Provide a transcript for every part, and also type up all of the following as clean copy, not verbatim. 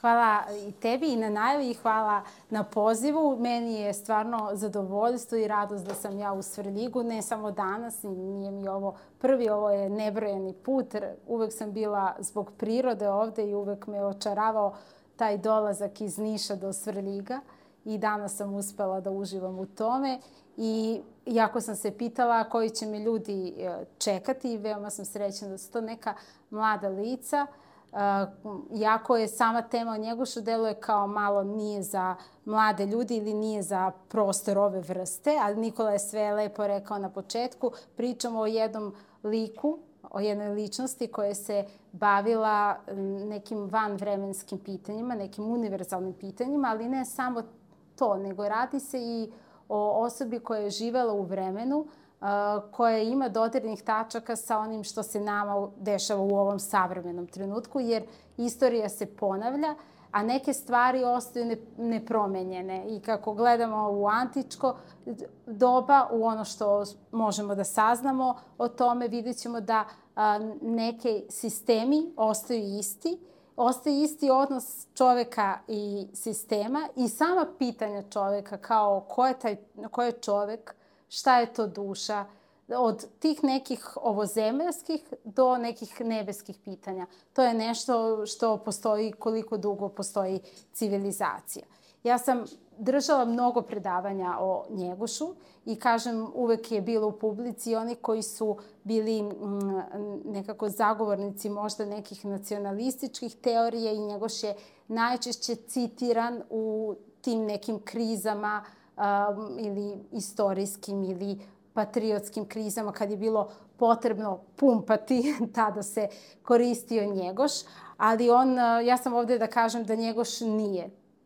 Hvala i tebi i na najavi i hvala na pozivu. Meni je stvarno zadovoljstvo i radost da sam ja u Svrljigu, ne samo danas, nije mi ovo prvi, ovo je nebrojeni put. Uvek sam bila zbog prirode ovde i uvek me očaravao taj dolazak iz Niša do Svrljiga i danas sam uspela da uživam u tome. I jako sam se pitala koji će me ljudi čekati i veoma sam srećna da su to neka mlada lica. Iako je sama tema o Njegošu deluje kao malo nije za mlade ljudi ili nije za prostor ove vrste, ali Nikola je sve lepo rekao na početku. Pričamo o jednom liku, o jednoj ličnosti koja se bavila nekim vanvremenskim pitanjima, nekim univerzalnim pitanjima, ali ne samo to, nego radi se i o osobi koja je živela u vremenu, koja ima dodirnih tačaka sa onim što se nama dešava u ovom savremenom trenutku, jer istorija se ponavlja, a neke stvari ostaju nepromenjene. I kako gledamo u antičko doba, u ono što možemo da saznamo o tome, vidjet ćemo da neke sistemi ostaju isti. Ostaje isti odnos čoveka i sistema i sama pitanja čoveka kao ko je čovek, šta je to duša, od tih nekih ovozemaljskih do nekih nebeskih pitanja. To je nešto što postoji koliko dugo postoji civilizacija. Ja sam držala mnogo predavanja o Njegošu i kažem uvek je bilo u publici oni koji su bili nekako zagovornici možda nekih nacionalističkih teorija i Njegoš je najčešće citiran u tim nekim krizama ili istorijskim ili patriotskim krizama kad je bilo potrebno pumpati, tada se koristio Njegoš, ali ja sam ovde da kažem da Njegoš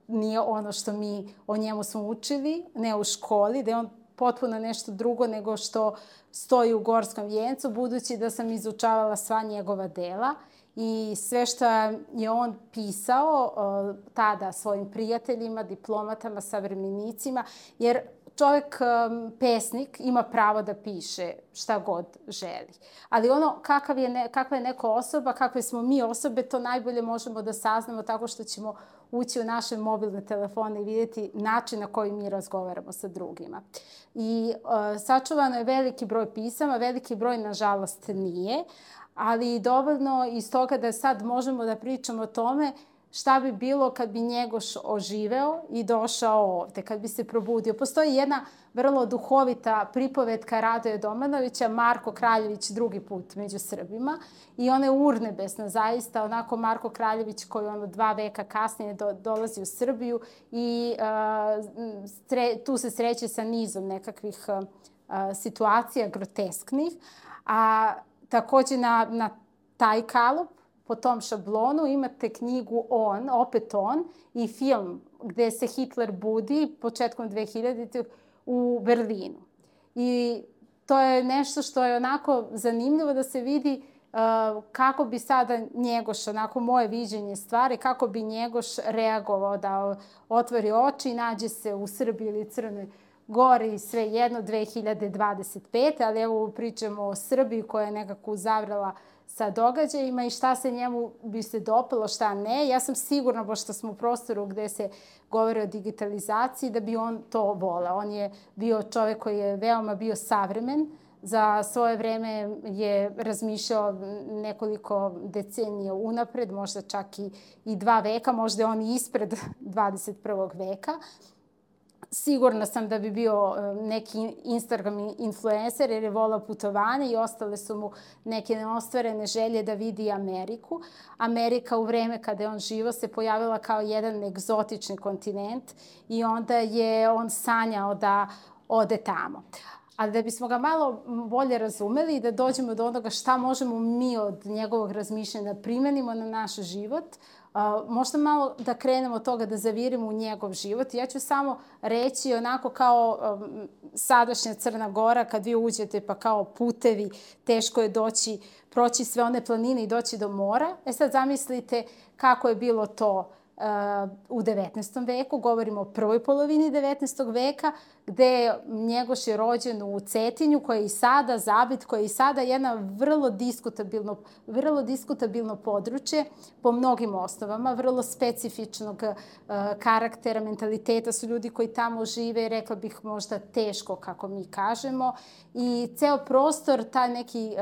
nije ono što mi o njemu smo učili, ne u školi, da je on potpuno nešto drugo nego što stoji u Gorskom vijencu, budući da sam izučavala sva njegova dela i sve što je on pisao tada svojim prijateljima, diplomatama, savremenicima, jer čovek, pesnik, ima pravo da piše šta god želi. Ali ono kakva je neka osoba, kakve smo mi osobe, to najbolje možemo da saznamo tako što ćemo ući u naše mobilne telefone i vidjeti način na koji mi razgovaramo sa drugima. I sačuvano je veliki broj pisama, veliki broj, nažalost, nije, ali dovoljno iz toga da sad možemo da pričamo o tome šta bi bilo kad bi Njegoš oživeo i došao ovde, kad bi se probudio. Postoji jedna vrlo duhovita pripovetka Radoja Domanovića, Marko Kraljević drugi put među Srbima i ona je urnebesna zaista, onako Marko Kraljević koji 2 veka kasnije dolazi u Srbiju i tu se sreće sa nizom nekakvih situacija grotesknih, a takođe na taj kalup po tom šablonu imate knjigu opet on i film gde se Hitler budi početkom 2000. u Berlinu. I to je nešto što je onako zanimljivo da se vidi kako bi sada Njegoš, onako moje viđenje stvari, kako bi Njegoš reagovao da otvori oči i nađe se u Srbiji ili Crnoj Gori, sve jedno 2025. Ali evo pričamo o Srbiji koja je nekako uzavrela sa događajima i šta se njemu bi se dopalo, šta ne. Ja sam sigurna, pošto smo u prostoru gde se govori o digitalizaciji, da bi on to voleo. On je bio čovek koji je veoma bio savremen. Za svoje vreme je razmišljao nekoliko decenija unapred, možda čak i 2 veka, možda je on ispred 21. veka. Sigurna sam da bi bio neki Instagram influencer jer je volao putovanje i ostale su mu neke neostvarene želje da vidi Ameriku. Amerika u vreme kada je on živo se pojavila kao jedan egzotični kontinent i onda je on sanjao da ode tamo. Ali da bismo ga malo bolje razumeli i da dođemo do onoga šta možemo mi od njegovog razmišljanja da primenimo na naš život, možda malo da krenemo od toga da zavirimo u njegov život. Ja ću samo reći onako kao sadašnja Crna Gora, kad vi uđete pa kao putevi, teško je proći sve one planine i doći do mora. Sad zamislite kako je bilo to u 19. veku, govorimo o prvoj polovini 19. veka, gde Njegoš je rođen u Cetinju, koji je i sada zabit, koji je i sada jedna vrlo diskutabilno područje po mnogim osnovama, vrlo specifičnog karaktera, mentaliteta, su ljudi koji tamo žive, rekla bih možda teško, kako mi kažemo, i ceo prostor, taj neki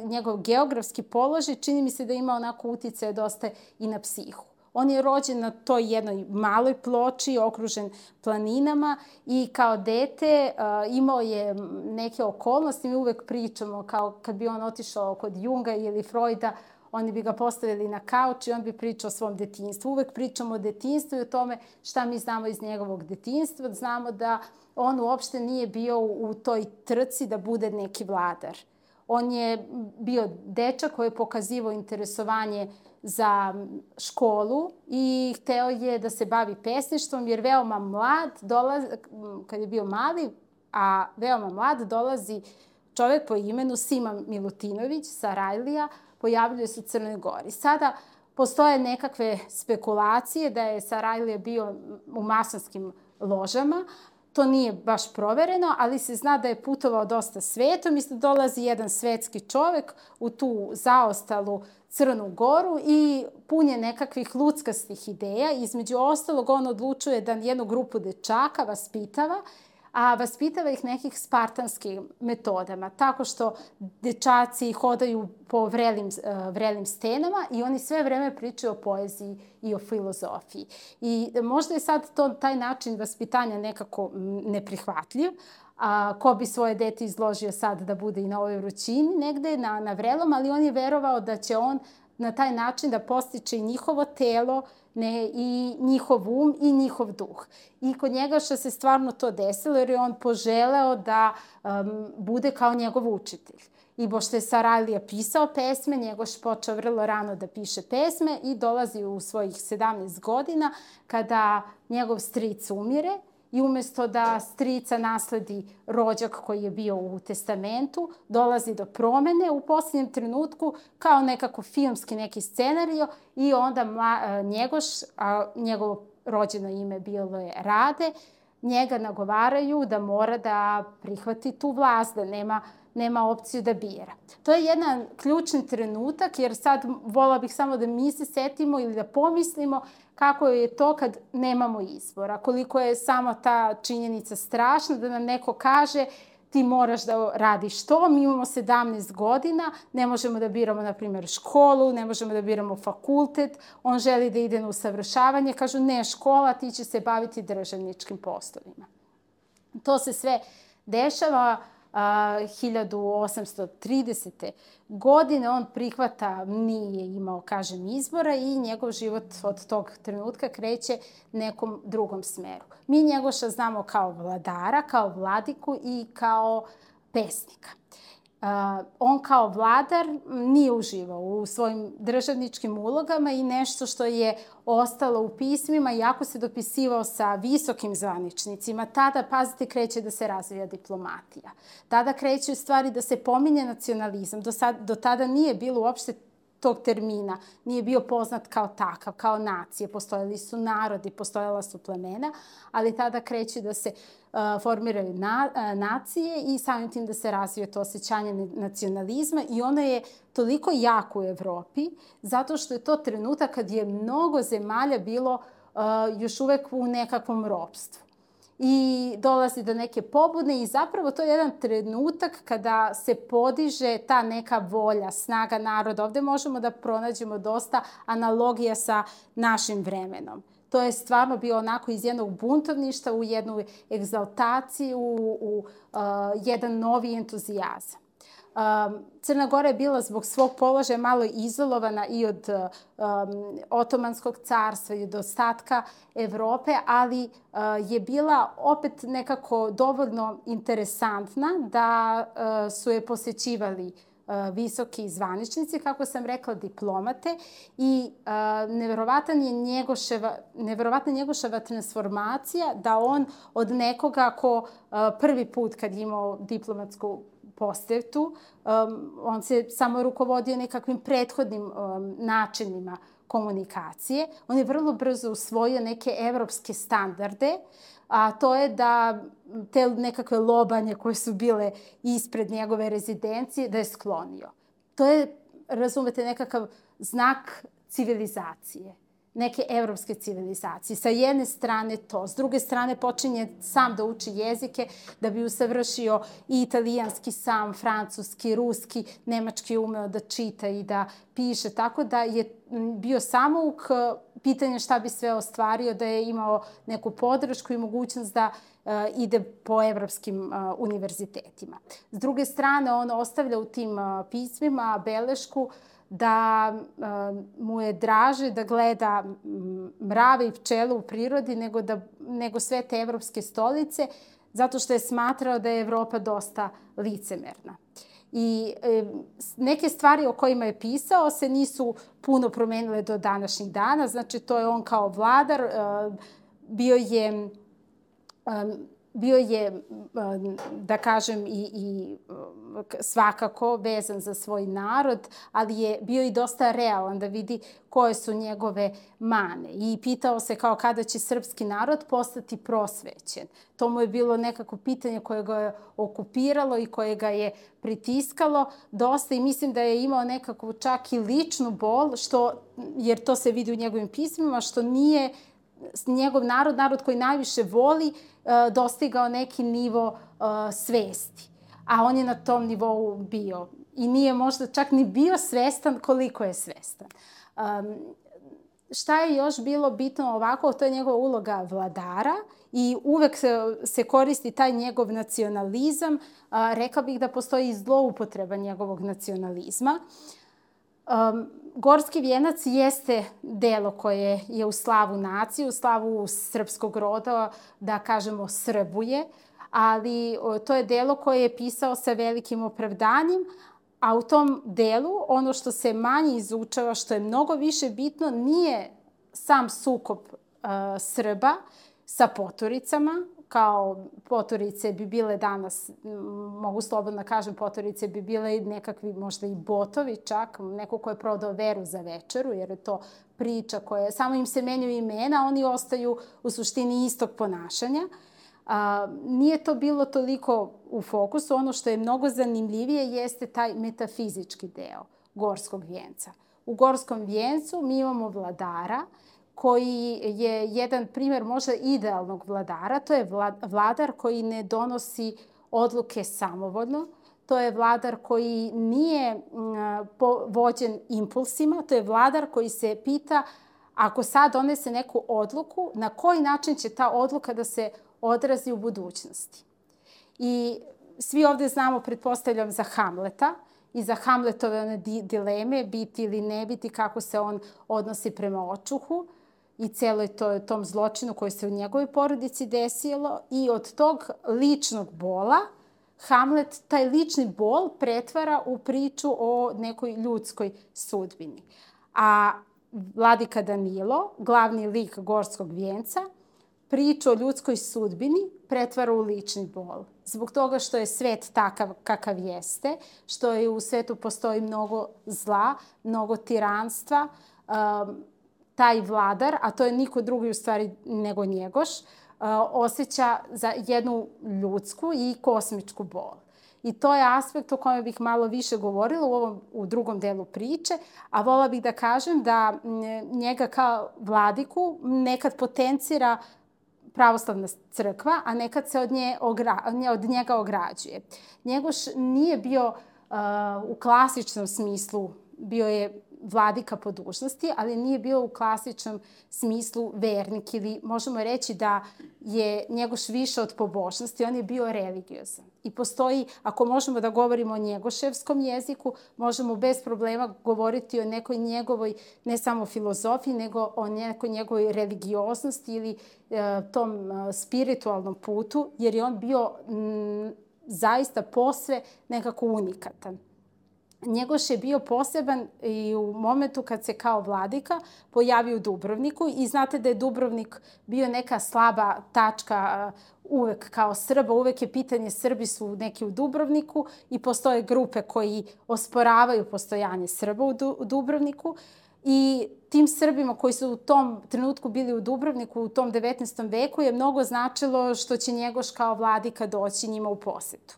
njegov geografski položaj, čini mi se da ima onako uticaje dosta i na psihu. On je rođen na toj jednoj maloj ploči, okružen planinama, i kao dete imao je neke okolnosti. Mi uvek pričamo kao kad bi on otišao kod Junga ili Freuda, oni bi ga postavili na kauč i on bi pričao o svom detinjstvu. Uvek pričamo o detinjstvu i o tome šta mi znamo iz njegovog detinjstva. Znamo da on uopšte nije bio u toj trci da bude neki vladar. On je bio dečak koji je pokazivao interesovanje za školu i hteo je da se bavi pesništvom, jer veoma mlad, kad je bio mali, a veoma mlad, dolazi čovek po imenu Sima Milutinović sa Rajlija, pojavljuje se u Crnoj Gori. Sada postoje nekakve spekulacije da je Sarajlija bio u masonskim ložama. To nije baš provereno, ali se zna da je putovao dosta svetom i da dolazi jedan svetski čovek u tu zaostalu Crnu Goru i pun je nekakvih luckastih ideja. Između ostalog, on odlučuje da jednu grupu dečaka vaspitava, a vaspitava ih nekih spartanskim metodama, tako što dečaci hodaju po vrelim stenama i oni sve vreme pričaju o poeziji i o filozofiji. I možda je sad taj način vaspitanja nekako neprihvatljiv, ko bi svoje dete izložio sad da bude i na ovoj vrućini negde na vrelom, ali on je verovao da će on na taj način da postiče i njihovo telo, i njihov um i njihov duh. I kod Njegoša se stvarno to desilo, jer je on poželeo da bude kao njegov učitelj. I pošto je Sarajlija pisao pesme, Njegoš počeo vrlo rano da piše pesme i dolazi u svojih 17 godina kada njegov stric umire. I umesto da strica nasledi rođak koji je bio u testamentu, dolazi do promene u posljednjem trenutku kao nekako filmski neki scenario i onda Njegoš, a njegovo rođeno ime bilo je Rade, njega nagovaraju da mora da prihvati tu vlast, da nema opciju da bira. To je jedan ključni trenutak, jer sad vola bih samo da mi se setimo ili da pomislimo kako je to kad nemamo izbora, koliko je samo ta činjenica strašna da nam neko kaže ti moraš da radiš to. Mi imamo 17 godina, ne možemo da biramo, na primjer, školu, ne možemo da biramo fakultet, on želi da ide na usavršavanje, kažu ne, škola, ti će se baviti državničkim poslovima. To se sve dešava 1830. godine. On prihvata, nije imao, kažem, izbora i njegov život od tog trenutka kreće nekom drugom smeru. Mi Njegoša znamo kao vladara, kao vladiku i kao pesnika. On kao vladar nije uživao u svojim državničkim ulogama i nešto što je ostalo u pismima, iako se dopisivao sa visokim zvaničnicima, tada, pazite, kreće da se razvija diplomatija. Tada kreće u stvari da se pominje nacionalizam. Do tada nije bilo uopšte tog termina, nije bio poznat kao takav, kao nacije. Postojali su narodi, postojala su plemena, ali tada kreće da se formiraju nacije i samim tim da se razvije to osjećanje nacionalizma i ono je toliko jako u Evropi zato što je to trenutak kad je mnogo zemalja bilo još uvek u nekakvom ropstvu. I dolazi do neke pobude i zapravo to je jedan trenutak kada se podiže ta neka volja, snaga naroda. Ovde možemo da pronađemo dosta analogija sa našim vremenom. To je stvarno bio onako iz jednog buntovništa u jednu egzaltaciju, u jedan novi entuzijazam. Crna Gora je bila zbog svog položaja malo izolovana i od Otomanskog carstva i od ostatka Evrope, ali je bila opet nekako dovoljno interesantna da su je posećivali visoki zvaničnici, kako sam rekla, diplomate i neverovatna Njegoševa transformacija da on od nekoga ko prvi put kad je imao diplomatsku posetu, on se samo rukovodio nekakvim prethodnim načinima komunikacije. On je vrlo brzo usvojio neke evropske standarde, a to je da te nekakve lobanje koje su bile ispred njegove rezidencije, da je sklonio. To je, razumete, nekakav znak civilizacije, neke evropske civilizacije. Sa jedne strane to, s druge strane počinje sam da uči jezike da bi usavršio i italijanski sam, francuski, ruski, nemački je umeo da čita i da piše, tako da je bio samouk, pitanje šta bi sve ostvario, da je imao neku podršku i mogućnost da ide po evropskim univerzitetima. S druge strane, on ostavlja u tim pismima belešku da mu je draže da gleda mrave i pčele u prirodi nego sve te evropske stolice, zato što je smatrao da je Evropa dosta licemerna. I neke stvari o kojima je pisao se nisu puno promenile do današnjih dana. Znači, to je on kao vladar, bio je, da kažem, i svakako vezan za svoj narod, ali je bio i dosta realan da vidi koje su njegove mane. I pitao se kao kada će srpski narod postati prosvećen. To mu je bilo nekako pitanje koje ga je okupiralo i koje ga je pritiskalo dosta i mislim da je imao nekakvu čak i ličnu bol, jer to se vidi u njegovim pismima, što nije njegov narod koji najviše voli, dostigao neki nivo svesti. A on je na tom nivou bio. I nije možda čak ni bio svestan koliko je svestan. Šta je još bilo bitno ovako? To je njegova uloga vladara i uvek se koristi taj njegov nacionalizam. Rekla bih da postoji zloupotreba njegovog nacionalizma. Gorski vijenac jeste delo koje je u slavu nacije, u slavu srpskog roda, da kažemo Srbuje, ali to je delo koje je pisao sa velikim opravdanjem, a u tom delu ono što se manje izučava, što je mnogo više bitno, nije sam sukob Srba sa poturicama, kao poturice bi bile danas, mogu slobodno kažem, poturice bi bile nekakvi možda i botovi čak, neko ko je prodao veru za večeru, jer je to priča koja, samo im se menjaju imena, oni ostaju u suštini istog ponašanja. Nije to bilo toliko u fokusu. Ono što je mnogo zanimljivije jeste taj metafizički deo Gorskog vijenca. U Gorskom vijencu mi imamo vladara koji je jedan primjer možda idealnog vladara. To je vladar koji ne donosi odluke samovoljno. To je vladar koji nije vođen impulsima. To je vladar koji se pita ako sad donese neku odluku, na koji način će ta odluka da se odrazi u budućnosti. I svi ovde znamo, pretpostavljam, za Hamleta i za Hamletove one dileme, biti ili ne biti, kako se on odnosi prema očuhu i celoj tom zločinu koji se u njegovoj porodici desilo. I od tog ličnog bola Hamlet taj lični bol pretvara u priču o nekoj ljudskoj sudbini. A Vladika Danilo, glavni lik Gorskog vijenca, priču o ljudskoj sudbini pretvara u lični bol. Zbog toga što je svet takav kakav jeste, što je u svetu postoji mnogo zla, mnogo tiranstva, taj vladar, a to je niko drugi u stvari nego Njegoš, osjeća za jednu ljudsku i kosmičku bol. I to je aspekt o kojem bih malo više govorila u drugom delu priče, a vola bih da kažem da njega kao vladiku nekad potencira pravoslavna crkva, a nekad se od njega ograđuje. Njegoš nije bio u klasičnom smislu, bio je vladika po dužnosti, ali nije bio u klasičnom smislu vernik ili možemo reći da je Njegoš više od pobožnosti, on je bio religiozan. I postoji, ako možemo da govorimo o njegoševskom jeziku, možemo bez problema govoriti o nekoj njegovoj, ne samo filozofiji, nego o nekoj njegovoj religioznosti ili tom spiritualnom putu, jer je on bio zaista posve nekako unikatan. Njegoš je bio poseban i u momentu kad se kao vladika pojavio u Dubrovniku i znate da je Dubrovnik bio neka slaba tačka uvek kao Srba, uvek je pitanje Srbi su neki u Dubrovniku i postoje grupe koji osporavaju postojanje Srba u Dubrovniku I tim Srbima koji su u tom trenutku bili u Dubrovniku u tom 19. veku je mnogo značilo što će Njegoš kao vladika doći njima u posetu.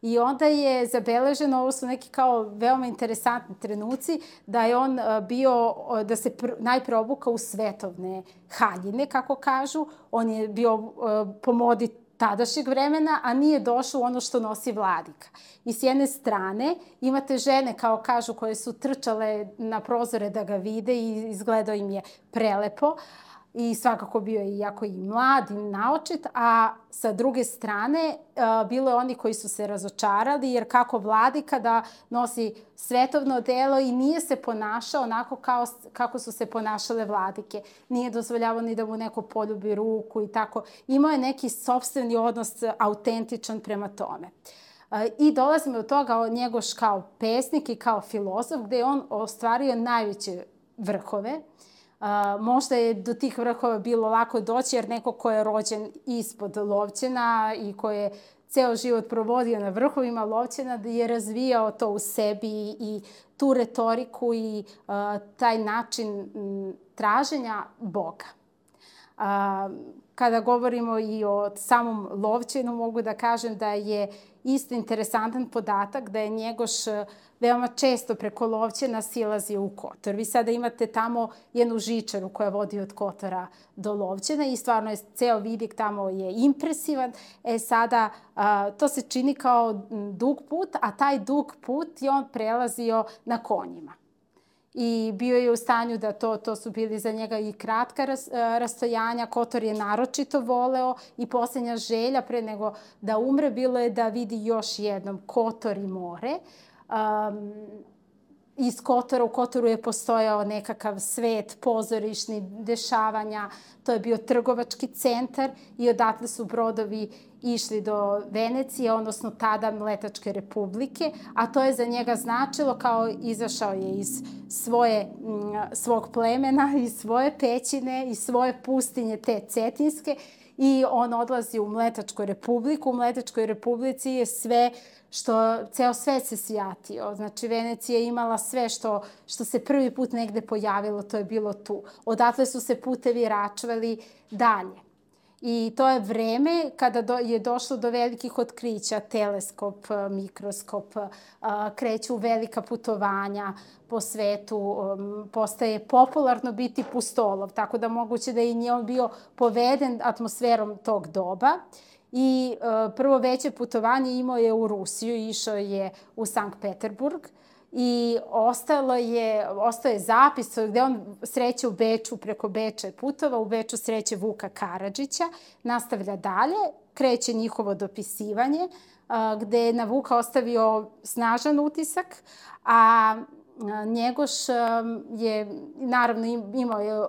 I onda je zabeleženo, ovo su neki kao veoma interesantni trenuci, da je on bio, da se najpre obukao u svetovne haljine, kako kažu. On je bio po modi tadašnjeg vremena, a nije došao ono što nosi vladika. I s jedne strane imate žene, kao kažu, koje su trčale na prozore da ga vide i izgledao im je prelepo. I svakako bio je jako i mlad i naočit, a sa druge strane bilo je oni koji su se razočarali, jer kako vladika da nosi svetovno odelo i nije se ponašao onako kako su se ponašale vladike. Nije dozvoljavao ni da mu neko poljubi ruku i tako. Imao je neki sopstveni odnos autentičan prema tome. I dolazimo do toga Njegoš kao pesnik i kao filozof, gde je on ostvario najveće vrhove. Možda je do tih vrhova bilo lako doći, jer neko ko je rođen ispod Lovćena i ko je ceo život provodio na vrhovima Lovćena, da je razvijao to u sebi i tu retoriku i taj način traženja Boga. Kada govorimo i o samom Lovćenu, mogu da kažem da je isto interesantan podatak da je Njegoš veoma često preko Lovćena silazio u Kotor. Vi sada imate tamo jednu žičaru koja vodi od Kotora do Lovćena i stvarno je ceo vidik tamo je impresivan. Sada to se čini kao dug put, a taj dug put je on prelazio na konjima. I bio je u stanju da to su bili za njega i kratka rastojanja. Kotor je naročito voleo i posljednja želja pre nego da umre bilo je da vidi još jednom Kotor i more. Iz Kotora, u Kotoru je postojao nekakav svet pozorišni dešavanja, to je bio trgovački centar i odatle su brodovi išli do Venecije, odnosno tada Mletačke republike, a to je za njega značilo kao izašao je iz svog plemena, iz svoje pećine, iz svoje pustinje te cetinske i on odlazi u Mletačku republiku. U Mletačkoj republici je ceo svet se sjatio. Znači, Venecija je imala sve što se prvi put negde pojavilo, to je bilo tu. Odatle su se putevi račvali dalje. I to je vreme kada je došlo do velikih otkrića, teleskop, mikroskop, kreću velika putovanja po svetu, postaje popularno biti pustolov, tako da moguće da je on bio poveden atmosferom tog doba. I prvo veće putovanje imao je u Rusiju, išao je u Sankt Peterburg i ostao je zapis gde on sreće u Beču, preko Beča je putovao, u Beču sreće Vuka Karadžića, nastavlja dalje, kreće njihovo dopisivanje, gde je na Vuka ostavio snažan utisak, a Njegoš je, naravno, imao je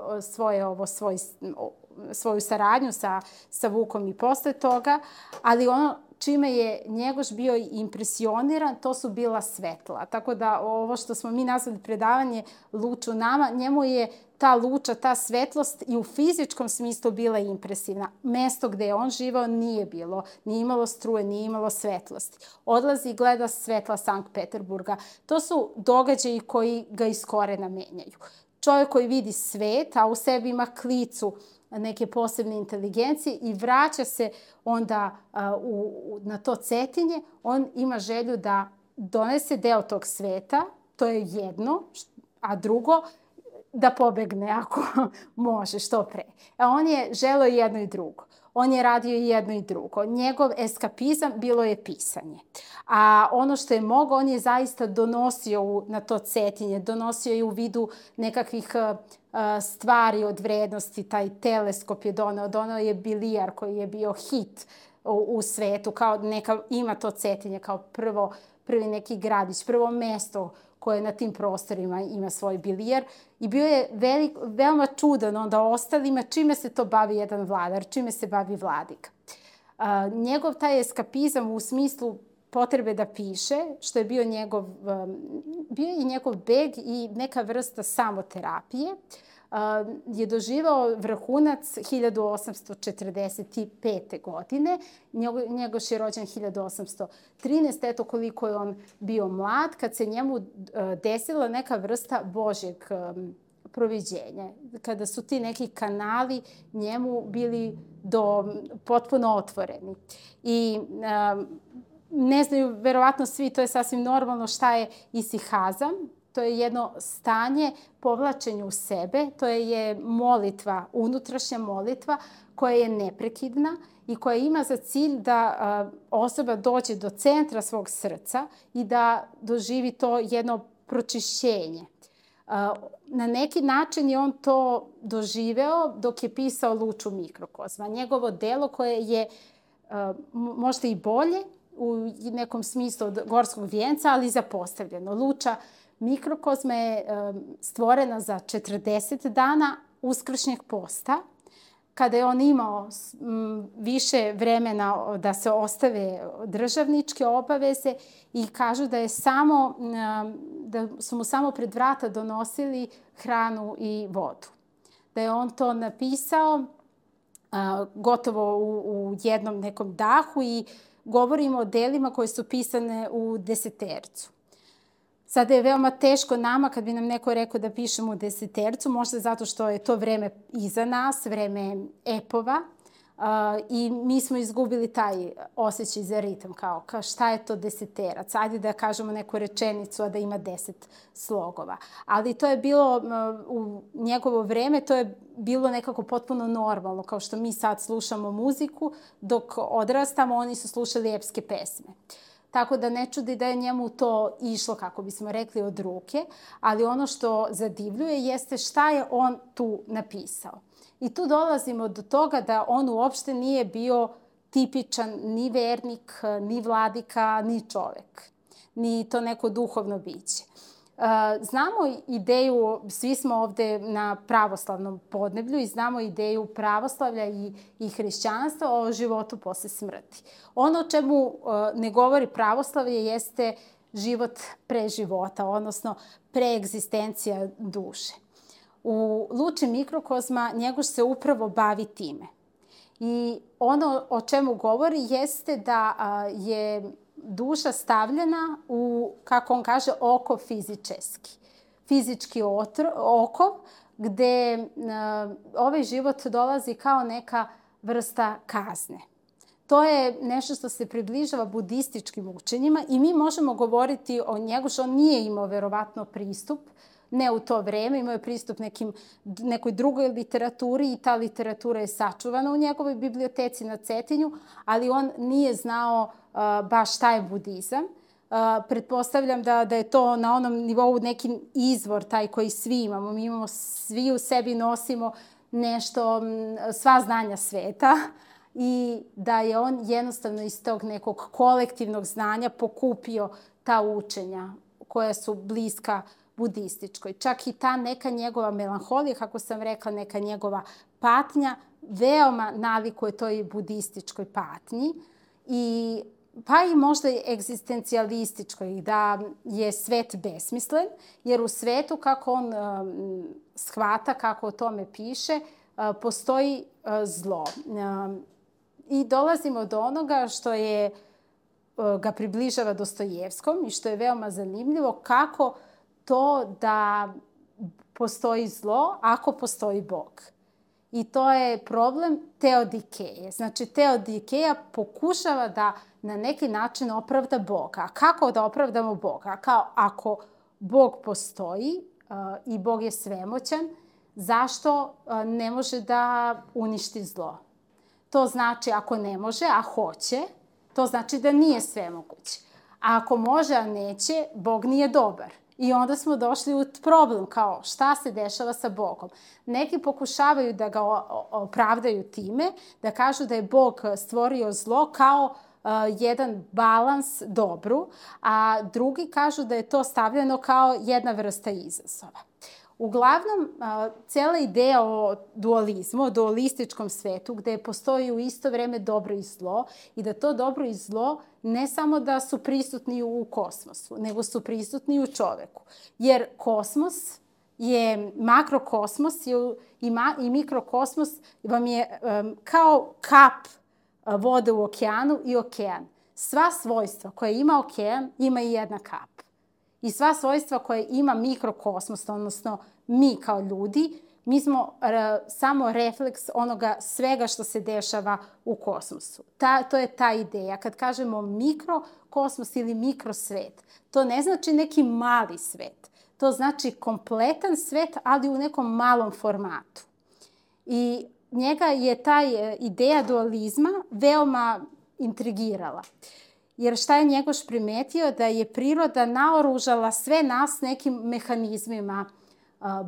svoju saradnju sa Vukom i posle toga, ali ono čime je Njegoš bio impresioniran, to su bila svetla. Tako da ovo što smo mi nazvali predavanje luč u nama, njemu je ta luča, ta svetlost i u fizičkom smislu bila impresivna. Mesto gde je on živao nije imalo struje, nije imalo svetlosti. Odlazi i gleda svetla Sankt Peterburga. To su događaji koji ga iz korena menjaju. Čovjek koji vidi svet, a u sebi ima klicu neke posebne inteligencije i vraća se onda na to Cetinje, on ima želju da donese deo tog sveta, to je jedno, a drugo, da pobegne ako može, što pre. On je želeo jedno i drugo. On je radio i jedno i drugo. Njegov eskapizam bilo je pisanje. A ono što je mogao, on je zaista donosio na to Cetinje, donosio je u vidu nekakvih stvari od vrednosti, taj teleskop je doneo je bilijar koji je bio hit u svetu, kao ima to Cetinje kao prvi neki gradić, prvo mesto koje na tim prostorima ima svoj bilijar i bio je veoma čudan onda ostalima čime se to bavi jedan vladar, čime se bavi vladika. Njegov taj eskapizam u smislu potrebe da piše, što je bio i njegov beg i neka vrsta samoterapije, je doživao vrhunac 1845. godine. Njegoš je rođen 1813. Eto koliko je on bio mlad, kad se njemu desila neka vrsta Božjeg proviđenja. Kada su ti neki kanali njemu bili potpuno otvoreni. I ne znaju, verovatno svi, to je sasvim normalno, šta je isihazam. To je jedno stanje povlačenja u sebe, to je molitva, unutrašnja molitva koja je neprekidna i koja ima za cilj da osoba dođe do centra svog srca i da doživi to jedno pročišćenje. Na neki način je on to doživeo dok je pisao Luču mikrokozma. Njegovo delo koje je možda i bolje u nekom smislu od Gorskog vijenca, ali zapostavljeno. Luča mikrokozma je stvorena za 40 dana uskršnjeg posta, kada je on imao više vremena da se ostave državničke obaveze i kažu da su mu samo pred vrata donosili hranu i vodu. Da je on to napisao gotovo u jednom nekom dahu i govorimo o delima koje su pisane u desetercu. Sada je veoma teško nama kad bi nam neko rekao da pišemo u desetercu, možda zato što je to vreme iza nas, vreme epova i mi smo izgubili taj osjećaj za ritam, kao šta je to deseterac, ajde da kažemo neku rečenicu, a da ima 10 slogova. Ali to je bilo, u njegovo vreme, to je bilo nekako potpuno normalno, kao što mi sad slušamo muziku, dok odrastamo oni su slušali epske pesme. Tako da ne čudi da je njemu to išlo, kako bismo rekli, od ruke, ali ono što zadivljuje jeste šta je on tu napisao. I tu dolazimo do toga da on uopšte nije bio tipičan ni vernik, ni vladika, ni čovek, ni to neko duhovno biće. Znamo ideju, svi smo ovde na pravoslavnom podneblju i znamo ideju pravoslavlja i hrišćanstva o životu posle smrti. Ono o čemu ne govori pravoslavlje jeste život pre života, odnosno preegzistencija duše. U Luči mikrokozma Njegoš se upravo bavi time. I ono o čemu govori jeste da je duša stavljena u, kako on kaže, okov fizički okov, gde ovaj život dolazi kao neka vrsta kazne. To je nešto što se približava budističkim učenjima i mi možemo govoriti o Njegošu. On nije imao verovatno pristup, ne u to vreme, imao je pristup nekoj drugoj literaturi i ta literatura je sačuvana u njegovoj biblioteci na Cetinju, ali on nije znao baš šta je budizam. Pretpostavljam da je to na onom nivou neki izvor, taj koji svi imamo. Mi imamo, svi u sebi nosimo nešto, sva znanja sveta i da je on jednostavno iz tog nekog kolektivnog znanja pokupio ta učenja koja su bliska budističkoj. Čak i ta neka njegova melanholija, kako sam rekla, neka njegova patnja, veoma nalikuje toj budističkoj patnji pa i možda i egzistencijalističkoj, da je svet besmislen, jer u svetu, kako on shvata, kako o tome piše, postoji zlo. I dolazimo do onoga što ga približava Dostojevskom i što je veoma zanimljivo, kako to da postoji zlo ako postoji Bog. I to je problem teodikeje. Znači, teodikeja pokušava da na neki način opravda Boga. A kako da opravdamo Boga? Kao ako Bog postoji i Bog je svemoćan, zašto ne može da uništi zlo? To znači ako ne može, a hoće, to znači da nije svemoguć. A ako može, a neće, Bog nije dobar. I onda smo došli u problem, kao šta se dešava sa Bogom. Neki pokušavaju da ga opravdaju time, da kažu da je Bog stvorio zlo kao jedan balans dobru, a drugi kažu da je to stavljeno kao jedna vrsta izazova. Uglavnom, cela ideja o dualizmu, o dualističkom svetu, gde postoji u isto vreme dobro i zlo i da to dobro i zlo ne samo da su prisutni u kosmosu, nego su prisutni u čoveku. Jer kosmos je, makrokosmos i mikrokosmos vam je kao kap vode u okeanu i okean. Sva svojstva koje ima okean ima i jedna kap. I sva svojstva koje ima mikrokosmos, odnosno mi kao ljudi, mi smo samo refleks onoga svega što se dešava u kosmosu. To je ta ideja. Kad kažemo mikrokosmos ili mikrosvet, to ne znači neki mali svet. To znači kompletan svet, ali u nekom malom formatu. I njega je ta ideja dualizma veoma intrigirala. Jer šta je Njegoš primetio? Da je priroda naoružala sve nas nekim mehanizmima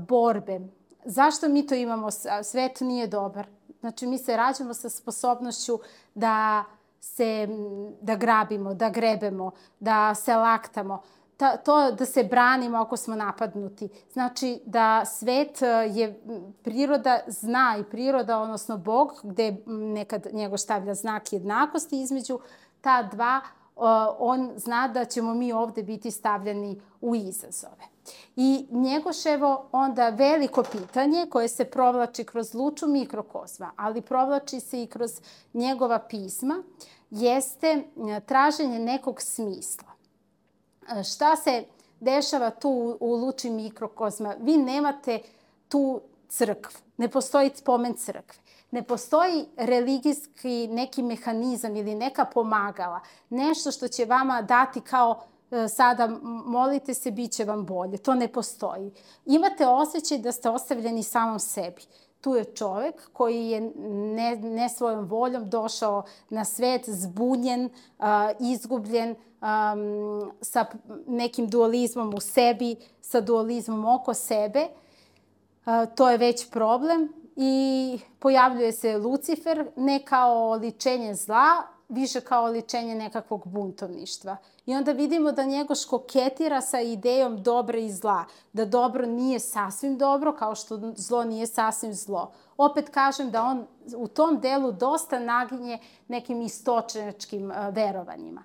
borbe. Zašto mi to imamo? Svet nije dobar. Znači, mi se rađamo sa sposobnošću da grabimo, da grebemo, da se laktamo, da se branimo ako smo napadnuti. Znači, da svet je, priroda zna i priroda, odnosno Bog, gde nekad Njegoš stavlja znak jednakosti između ta dva, on zna da ćemo mi ovde biti stavljeni u izazove. I Njegoševo onda veliko pitanje koje se provlači kroz luču mikrokosma, ali provlači se i kroz njegova pisma, jeste traženje nekog smisla. Šta se dešava tu u luči mikrokosma? Vi nemate tu crkvu, ne postoji spomen crkve. Ne postoji religijski neki mehanizam ili neka pomagala, nešto što će vama dati kao sada molite se, bit će vam bolje. To ne postoji. Imate osjećaj da ste ostavljeni samom sebi. Tu je čovek koji je ne svojom voljom došao na svet, zbunjen, izgubljen, sa nekim dualizmom u sebi, sa dualizmom oko sebe. To je već problem. I pojavljuje se Lucifer ne kao oličenje zla, više kao oličenje nekakvog buntovništva. I onda vidimo da Njegoš koketira sa idejom dobra i zla. Da dobro nije sasvim dobro, kao što zlo nije sasvim zlo. Opet kažem da on u tom delu dosta naginje nekim istočnjačkim verovanjima.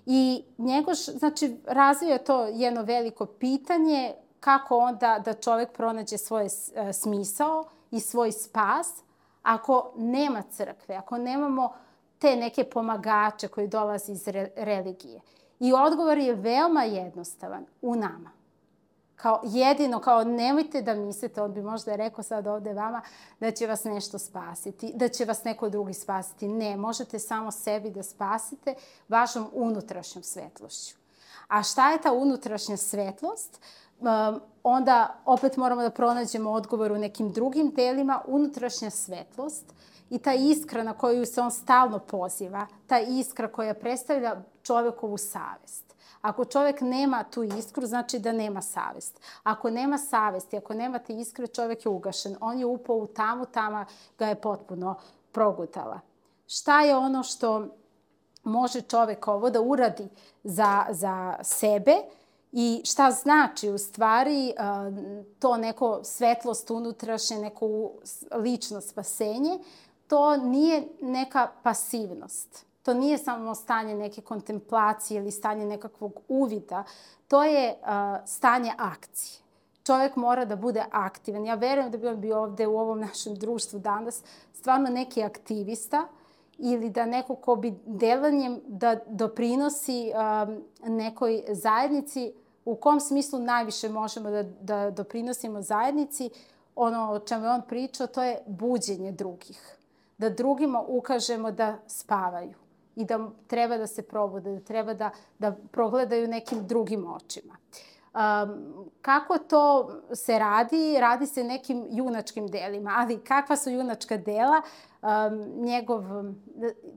I Njegoš, znači, razvija to jedno veliko pitanje kako onda da čovek pronađe svoj smisao i svoj spas ako nema crkve, ako nemamo te neke pomagače koji dolaze iz religije. I odgovor je veoma jednostavan, u nama. Kao nemojte da mislite, on bi možda rekao sad ovde vama, da će vas nešto spasiti, da će vas neko drugi spasiti. Ne, možete samo sebi da spasite vašom unutrašnjom svetlošću. A šta je ta unutrašnja svetlost? Onda opet moramo da pronađemo odgovor u nekim drugim delima. Unutrašnja svetlost i ta iskra na koju se on stalno poziva, ta iskra koja predstavlja čovekovu savest. Ako čovek nema tu iskru, znači da nema savest. Ako nema savesti, ako nema te iskre, čovek je ugašen. On je upao u tamu, tama ga je potpuno progutala. Šta je ono što može čovek ovo da uradi za sebe i šta znači u stvari to neko svetlost unutrašnje, neko lično spasenje? To nije neka pasivnost. To nije samo stanje neke kontemplacije ili stanje nekakvog uvida. To je stanje akcije. Čovjek mora da bude aktivan. Ja verujem da bi on bio ovde u ovom našem društvu danas stvarno neki aktivista ili da neko ko bi delanjem da doprinosi nekoj zajednici. U kom smislu najviše možemo da doprinosimo zajednici? Ono o čemu je on pričao, to je buđenje drugih. Da drugima ukažemo da spavaju i da treba da se probude, da treba da progledaju nekim drugim očima. Kako to se radi? Radi se nekim junačkim delima, ali kakva su junačka dela? Njegov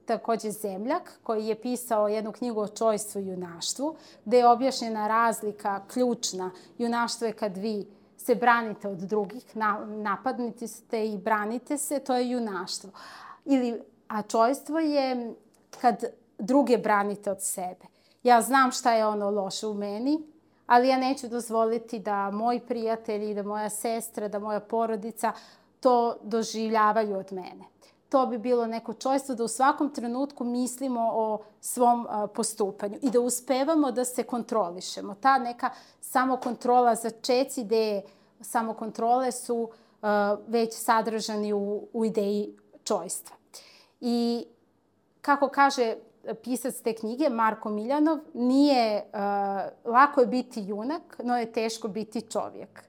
takođe zemljak koji je pisao jednu knjigu o čojstvu i junaštvu, gde je objašnjena razlika ključna. Junaštvo je kad vi se branite od drugih, napadnite ste i branite se, to je junaštvo. A čojstvo je kad druge branite od sebe. Ja znam šta je ono loše u meni, ali ja neću dozvoliti da moji prijatelji, da moja sestra, da moja porodica to doživljavaju od mene. To bi bilo neko čojstvo da u svakom trenutku mislimo o svom postupanju i da uspevamo da se kontrolišemo. Ta neka samokontrola, začeci ideje samokontrole su već sadržani u ideji čojstva. I kako kaže pisac te knjige, Marko Miljanov, nije lako je biti junak, no je teško biti čovjek.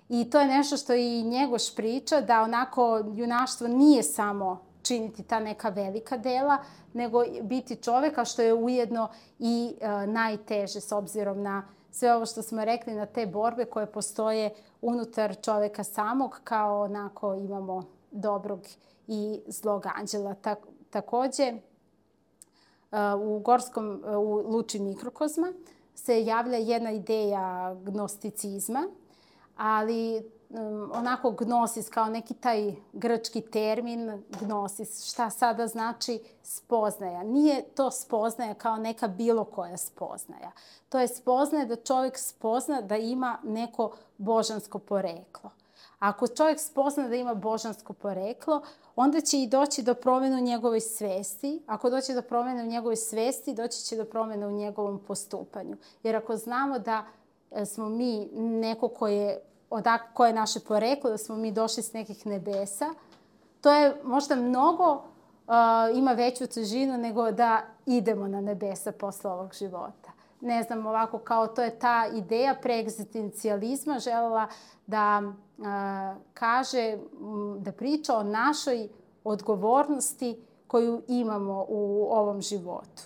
I to je nešto što i Njegoš priča, da onako junaštvo nije samo činiti ta neka velika dela, nego biti čovjeka, što je ujedno i najteže s obzirom na sve ovo što smo rekli, na te borbe koje postoje unutar čovjeka samog, kao onako imamo dobrog i zlog anđela. Također, u Luči mikrokozma se javlja jedna ideja gnosticizma, ali onako gnosis kao neki taj grčki termin gnosis, šta sada znači spoznaja. Nije to spoznaja kao neka bilo koja spoznaja. To je spoznaja da čovjek spozna da ima neko božansko poreklo. Ako čovjek spozna da ima božansko poreklo, onda će i doći do promjene u njegovoj svesti. Ako doći do promjene u njegovoj svesti, doći će do promjene u njegovom postupanju. Jer ako znamo da smo mi neko koje je naše poreklo, da smo mi došli s nekih nebesa, to je možda mnogo, ima veću težinu nego da idemo na nebesa posle ovog života. Ne znam, ovako kao to je ta ideja preegzistencijalizma želela da kaže, da priča o našoj odgovornosti koju imamo u ovom životu.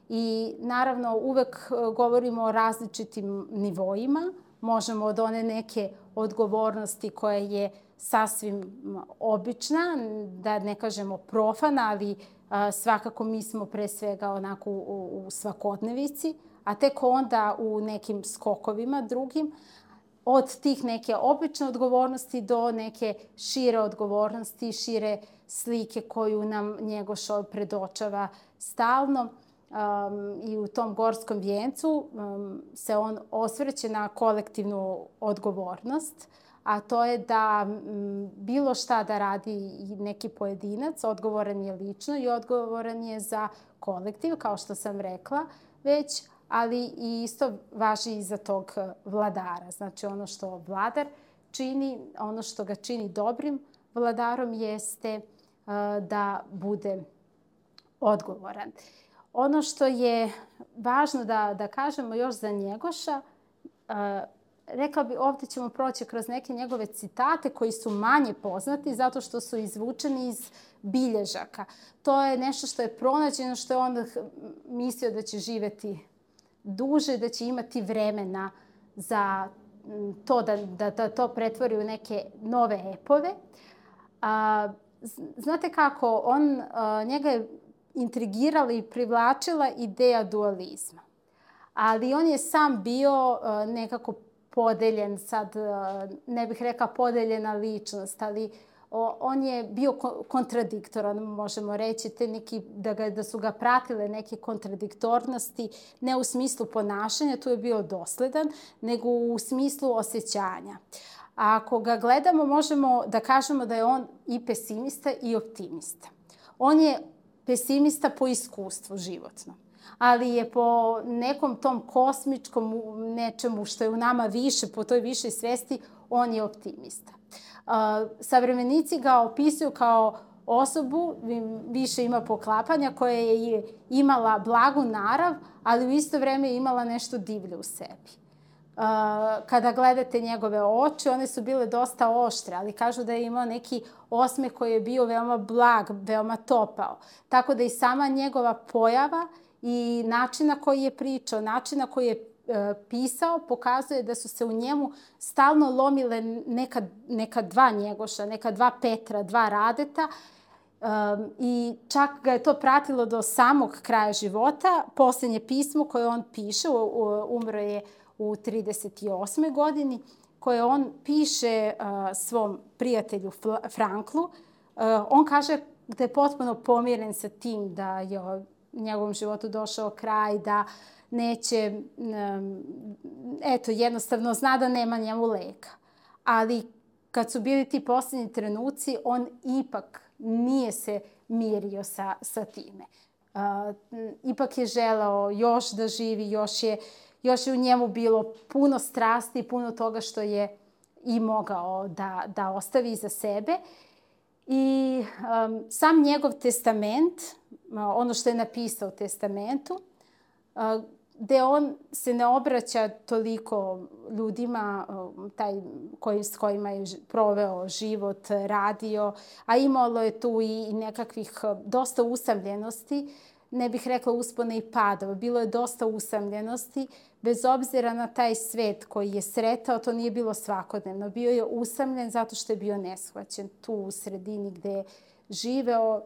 I naravno uvek govorimo o različitim nivoima. Možemo od one neke odgovornosti koja je sasvim obična, da ne kažemo profana, ali svakako mi smo pre svega onako u svakodnevici, a tek onda u nekim skokovima drugim, od tih neke obične odgovornosti do neke šire odgovornosti, šire slike koju nam Njegoš predočava stalno. I u tom Gorskom vijencu se on osvrće na kolektivnu odgovornost, a to je da bilo šta da radi neki pojedinac, odgovoran je lično i odgovoran je za kolektiv, kao što sam rekla već, ali i isto važi i za tog vladara. Znači ono što vladar čini, ono što ga čini dobrim vladarom jeste da bude odgovoran. Ono što je važno da kažemo još za Njegoša, rekla bi, ovdje ćemo proći kroz neke njegove citate koji su manje poznati zato što su izvučeni iz bilježaka. To je nešto što je pronađeno, što je on mislio da će živjeti duže, da će imati vremena za to da to pretvori u neke nove epove. Znate kako, njega je intrigirala i privlačila ideja dualizma. Ali on je sam bio nekako podeljen, sad ne bih rekla podeljena ličnost, ali on je bio kontradiktoran, možemo reći, da su ga pratile neke kontradiktornosti, ne u smislu ponašanja, tu je bio dosledan, nego u smislu osjećanja. A ako ga gledamo, možemo da kažemo da je on i pesimista i optimista. On je pesimista po iskustvu životnom, ali je po nekom tom kosmičkom nečemu što je u nama više, po toj višoj svesti, on je optimista. Savremenici ga opisuju kao osobu, više ima poklapanja, koja je imala blagu narav, ali u isto vrijeme je imala nešto divlje u sebi. Kada gledate njegove oči, one su bile dosta oštre, ali kažu da je imao neki osmeh koji je bio veoma blag, veoma topao. Tako da i sama njegova pojava i način na koji je pričao, način na koji je pisao, pokazuje da su se u njemu stalno lomile neka dva Njegoša, neka dva Petra, dva Radeta, i čak ga je to pratilo do samog kraja života. Posljednje pismo koje on piše, umro je u 38. godini, koje on piše svom prijatelju Franklu. On kaže da je potpuno pomiren sa tim da je u njegovom životu došao kraj, da neće, jednostavno zna da nema njemu leka. Ali kad su bili ti posljednji trenuci, on ipak nije se mirio sa time. Ipak je želeo još da živi, još je u njemu bilo puno strasti i puno toga što je i mogao da ostavi iza sebe. I sam njegov testament, ono što je napisao u testamentu, gde on se ne obraća toliko ljudima s kojima je proveo život, radio, a imalo je tu i nekakvih dosta usamljenosti, ne bih rekla uspona i padova, bilo je dosta usamljenosti, bez obzira na taj svet koji je sretao, to nije bilo svakodnevno. Bio je usamljen zato što je bio neshvaćen tu u sredini gde je živeo,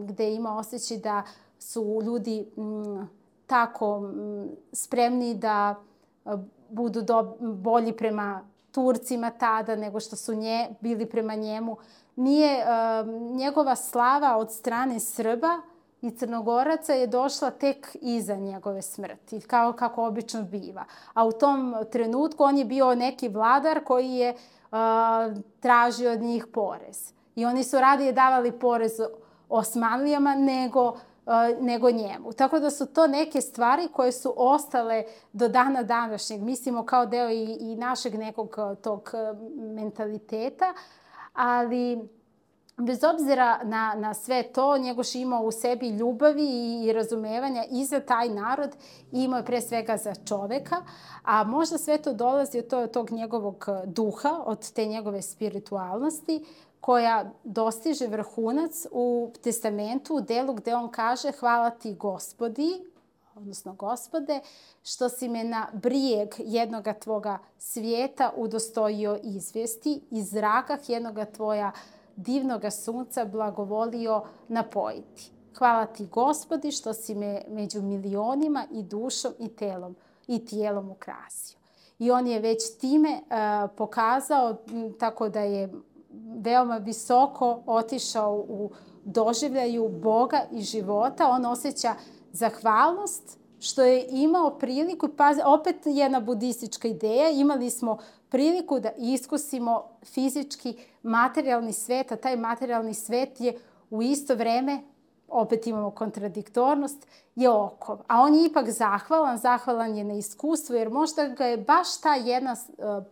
gde ima osjećaj da su ljudi tako spremni da budu bolji prema Turcima tada nego što su bili prema njemu. Nije njegova slava od strane Srba i Crnogoraca je došla tek iza njegove smrti, kao kako obično biva. A u tom trenutku on je bio neki vladar koji je tražio od njih porez. I oni su radije davali porez Osmanlijama nego njemu. Tako da su to neke stvari koje su ostale do dana današnjeg. Mislimo kao deo i našeg nekog tog mentaliteta, ali bez obzira na sve to, Njegoš imao u sebi ljubavi i razumevanja i za taj narod i imao je pre svega za čoveka, a možda sve to dolazi od tog njegovog duha, od te njegove spiritualnosti, koja dostiže vrhunac u testamentu, u delu gde on kaže hvala ti Gospodi, odnosno Gospode, što si me na brijeg jednoga tvoga svijeta udostojio izvesti, iz zrakah jednoga tvoja divnoga sunca blagovolio napojiti. Hvala ti Gospodi što si me među milionima i dušom i tijelom ukrasio. I on je već time pokazao tako da je veoma visoko otišao u doživljaju Boga i života. On osjeća zahvalnost što je imao priliku, pa opet jedna budistička ideja, imali smo priliku da iskusimo fizički materijalni svet, a taj materijalni svet je u isto vreme, opet imamo kontradiktornost, je okov. A on je ipak zahvalan je na iskustvu, jer možda ga je baš ta jedna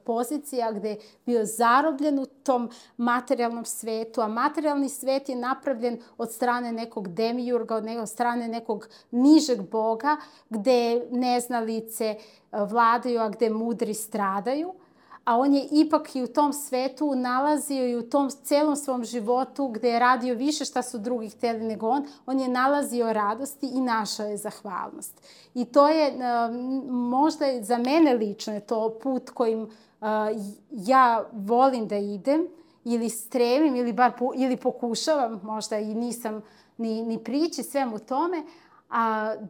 pozicija gde je bio zarobljen u tom materijalnom svetu, a materijalni svet je napravljen od strane nekog demijurga, od strane nekog nižeg boga, gde neznalice vladaju, a gde mudri stradaju. A on je ipak i u tom svetu nalazio i u tom celom svom životu gde je radio više šta su drugi hteli nego on je nalazio radosti i našao je zahvalnost. I to je možda za mene lično je to put kojim ja volim da idem ili stremim ili pokušavam, možda i nisam ni prići svemu tome,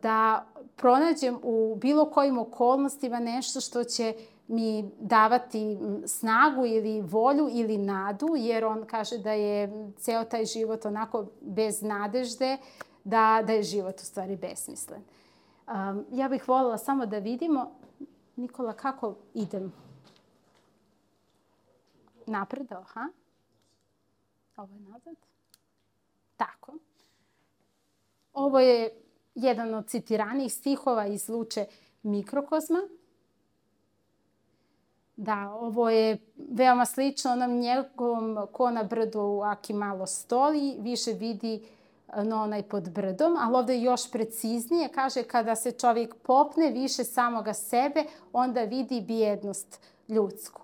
da pronađem u bilo kojim okolnostima nešto što će mi davati snagu ili volju ili nadu, jer on kaže da je ceo taj život onako bez nadežde, da je život u stvari besmislen. Ja bih voljela samo da vidimo, Nikola, kako idem? Napred, aha. Ovo je nazad. Tako. Ovo je jedan od citiranijih stihova iz Luče Mikrokozma. Da, ovo je veoma slično onom njegovom ko na brdu aki malo stoli, više vidi no onaj pod brdom, ali ovde je još preciznije, kaže kada se čovjek popne više samoga sebe, onda vidi bijednost ljudsku.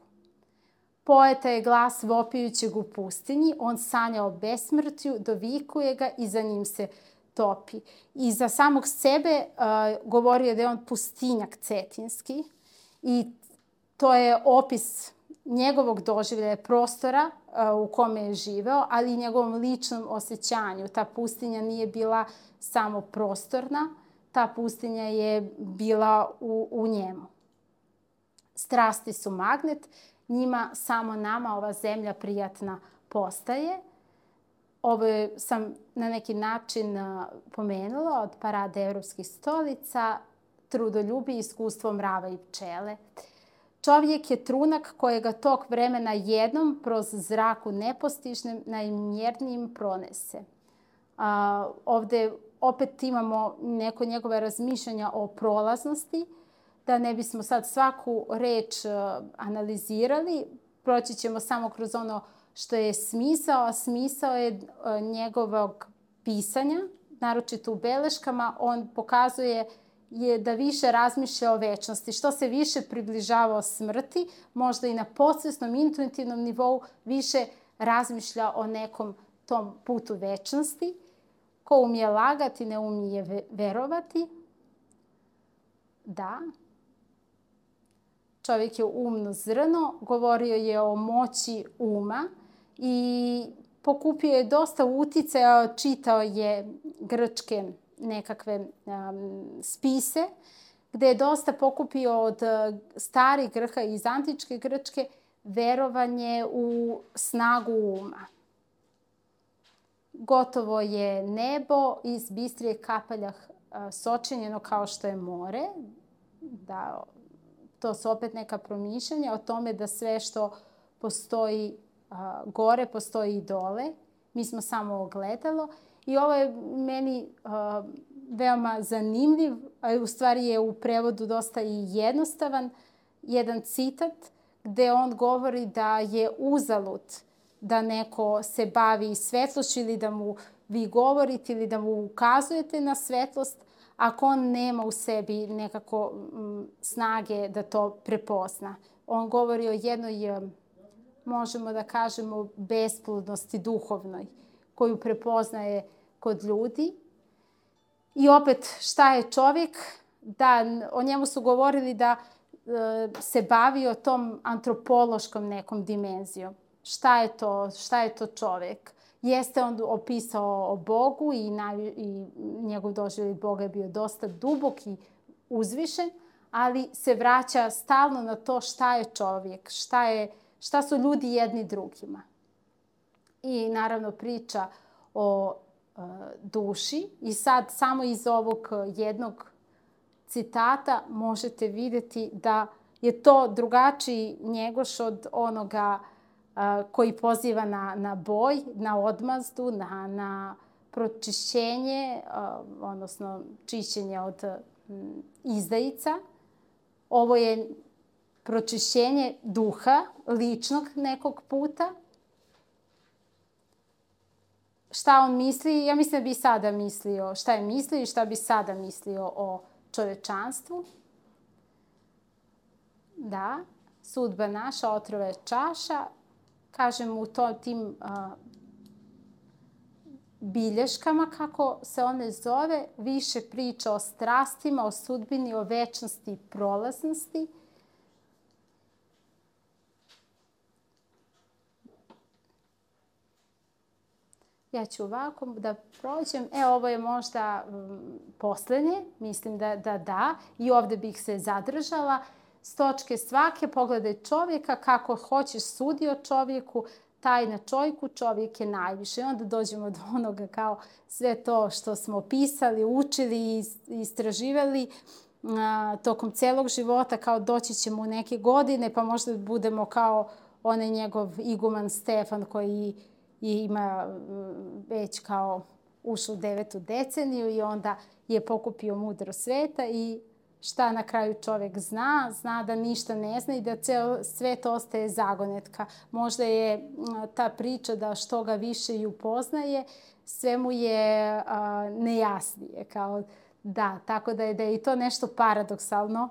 Poeta je glas vopijućeg u pustinji, on sanja o besmrtju, dovikuje ga i za njim se topi. I za samog sebe govorio da je on pustinjak cetinski i to je opis njegovog doživljaja prostora u kome je živeo, ali i njegovom ličnom osjećanju. Ta pustinja nije bila samo prostorna, ta pustinja je bila u njemu. Strasti su magnet, njima samo nama ova zemlja prijatna postaje. Ovo sam na neki način pomenula od parade evropskih stolica, trudoljubi, iskustvo mrava i pčele. Čovjek je trunak kojega tog vremena jednom kroz zraku nepostižnim najmjernijim pronese. Ovde opet imamo neko njegove razmišljanja o prolaznosti, da ne bismo sad svaku reč analizirali, proći ćemo samo kroz ono što je smisao, a smisao je njegovog pisanja, naročito u beleškama, on pokazuje da više razmišlja o večnosti. Što se više približava o smrti, možda i na podsvesnom, intuitivnom nivou, više razmišlja o nekom tom putu večnosti. Ko umije lagati, ne umije verovati. Da. Čovjek je umno zrno, govorio je o moći uma i pokupio je dosta uticaja, čitao je grčke nekakve spise, gde je dosta pokupio od starih Grka iz antičke Grčke verovanje u snagu uma. Gotovo je nebo iz bistrije kapaljah sočinjeno kao što je more. Da, to su opet neka promišljanja o tome da sve što postoji gore, postoji i dole. Mi smo samo ogledalo. I ovo je meni veoma zanimljiv, a u stvari je u prevodu dosta i jednostavan, jedan citat gde on govori da je uzalud da neko se bavi svetlošću ili da mu vi govorite ili da mu ukazujete na svetlost, ako on nema u sebi nekako snage da to prepozna. On govori o jednoj, možemo da kažemo, besplodnosti duhovnoj, koju prepoznaje kod ljudi. I opet, šta je čovjek? Da, o njemu su govorili da se bavio tom antropološkom nekom dimenzijom. Šta je to čovjek? Jeste on opisao o Bogu i njegov doživljaj Boga je bio dosta dubok i uzvišen, ali se vraća stalno na to šta je čovjek, šta su ljudi jedni drugima. I naravno priča o duši. I sad samo iz ovog jednog citata možete vidjeti da je to drugačiji Njegoš od onoga koji poziva na boj, na odmazdu, na pročišćenje, odnosno čišćenje od izdajica. Ovo je pročišćenje duha, ličnog nekog puta. Šta on misli? Ja mislim da bi i sada mislio šta je mislio i šta bi sada mislio o čovečanstvu. Da, sudba naša, otrova je čaša. Kažem u tim bilješkama, kako se one zove, više priča o strastima, o sudbini, o večnosti i prolaznosti. Ja ću ovako da prođem. Ovo je možda poslednje. Mislim da. I ovde bih se zadržala. S točke svake pogledaj čovjeka, kako hoćeš sudi o čovjeku, taj na čovjeku, čovjek je najviše. I onda dođemo do onoga kao sve to što smo pisali, učili i istraživali tokom celog života, kao doći ćemo u neke godine, pa možda budemo kao onaj njegov iguman Stefan koji ima već kao ušao u 9. deceniju i onda je pokupio mudro sveta i šta na kraju čovjek zna? Zna da ništa ne zna i da ceo svet ostaje zagonetka. Možda je ta priča da što ga više i upoznaje, sve mu je nejasnije. Tako da je i to nešto paradoksalno